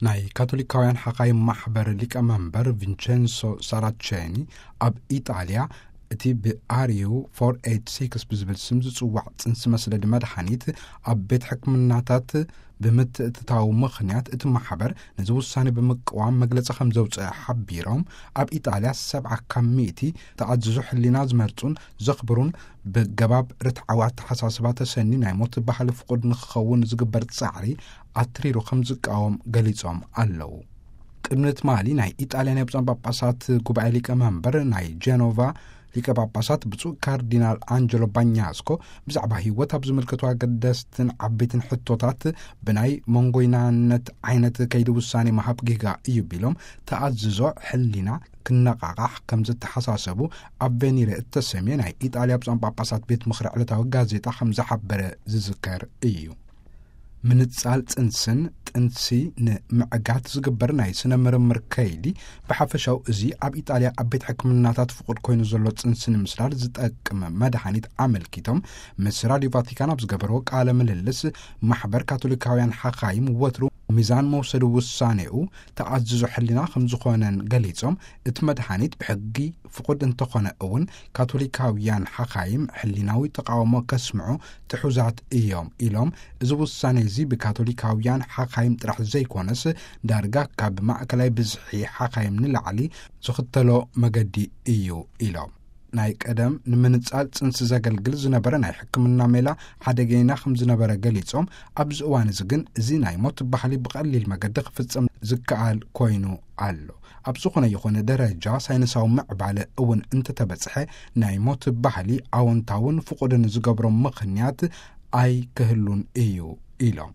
ናይ ካቶሊካውያን ሓኻይ ማሕበር ሊቀመንበር ቪንቸንሶ ሳራቼኒ፣ ኣብ ኢጣልያ እቲ ብኣርዩ ፎር ኤይት ሲክስ ብዝብል ስም ዝጽዋዕ ጽንሲ መስደዲ መድሓኒት ኣብ ቤት ሕክምናታት ብምትእትታው ምኽንያት፣ እቲ ማሕበር ነዚ ውሳኔ ብምቅዋም መግለጺ ከም ዘውፅአ ሓቢሮም፣ ኣብ ኢጣልያ ሰብዓ ካብ ሚእቲ ተኣዝዞ ሕሊና ዝመርጹን ዘኽብሩን፣ ብገባብ ርትዓዊ ኣተሓሳስባ ተሰኒ ናይ ሞት ባህሊ ፍቁድ ንክኸውን ዝግበር ጻዕሪ ኣትሪሩ ከም ዝቃወም ገሊጾም ኣለዉ። ቅድሚ ትማሊ ናይ ኢጣልያ ናይ ብፁዓን ጳጳሳት ጉባኤ ሊቀ መንበር ናይ ጀኖቫ ሊቀ ጳጳሳት ብፁዕ ካርዲናል ኣንጀሎ ባኛስኮ ብዛዕባ ህይወት ኣብ ዝምልከቱ ኣገደስትን ዓበይትን ሕቶታት ብናይ መንጎይናነት ዓይነት ከይዲ ውሳኔ ምሃብ ጌጋ እዩ ቢሎም፣ ተኣዝዞ ሕሊና ክነቓቓሕ ከም ዝተሓሳሰቡ ኣብ ቬኒረ እተሰምየ ናይ ኢጣልያ ብፁዓን ጳጳሳት ቤት ምኽሪ ዕለታዊ ጋዜጣ ከም ዝሓበረ ዝዝከር እዩ። ምንጻል ጽንስን ጥንሲ ንምዕጋት ዝግበር ናይ ስነ ምርምር ከይዲ፣ ብሓፈሻው እዚ ኣብ ኢጣልያ ኣብ ቤት ሕክምናታት ፍቁድ ኮይኑ ዘሎ ጽንሲ ንምስዳድ ዝጠቅም መድሃኒት ኣመልኪቶም፣ ምስ ራዲዮ ቫቲካን ኣብ ዝገበርዎ ቃለ ምልልስ፣ ማሕበር ካቶሊካውያን ሓኻይም ወትሩ ሚዛን መውሰዲ ውሳኔኡ ተኣዝዞ ሕሊና ከም ዝኾነን ገሊጾም፣ እቲ መድሃኒት ብሕጊ ፍቁድ እንተኾነ እውን፣ ካቶሊካውያን ሓኻይም ሕሊናዊ ተቃውሞ ከስምዑ ትሑዛት እዮም ኢሎም፣ እዚ ውሳኔ እዚ ብካቶሊካውያን ሓኻይም ጥራሕ ዘይኮነስ፣ ዳርጋ ካብ ማእከላይ ብዝሒ ሓኻይም ንላዕሊ ዝኽተሎ መገዲ እዩ ኢሎም። ናይ ቀደም ንምንጻል ጽንሲ ዘገልግል ዝነበረ ናይ ሕክምና ሜላ ሓደገይና ከም ዝነበረ ገሊጾም፣ ኣብዚ እዋን እዚ ግን እዚ ናይ ሞት ባህሊ ብቐሊል መገዲ ክፍጸም ዝከኣል ኮይኑ ኣሎ። ኣብ ዝኾነ ይኹን ደረጃ ሳይንሳዊ ምዕባለ እውን እንተተበጽሐ፣ ናይ ሞት ባህሊ ኣወንታውን ፍቑድን ዝገብሮ ምኽንያት ኣይክህሉን እዩ ኢሎም።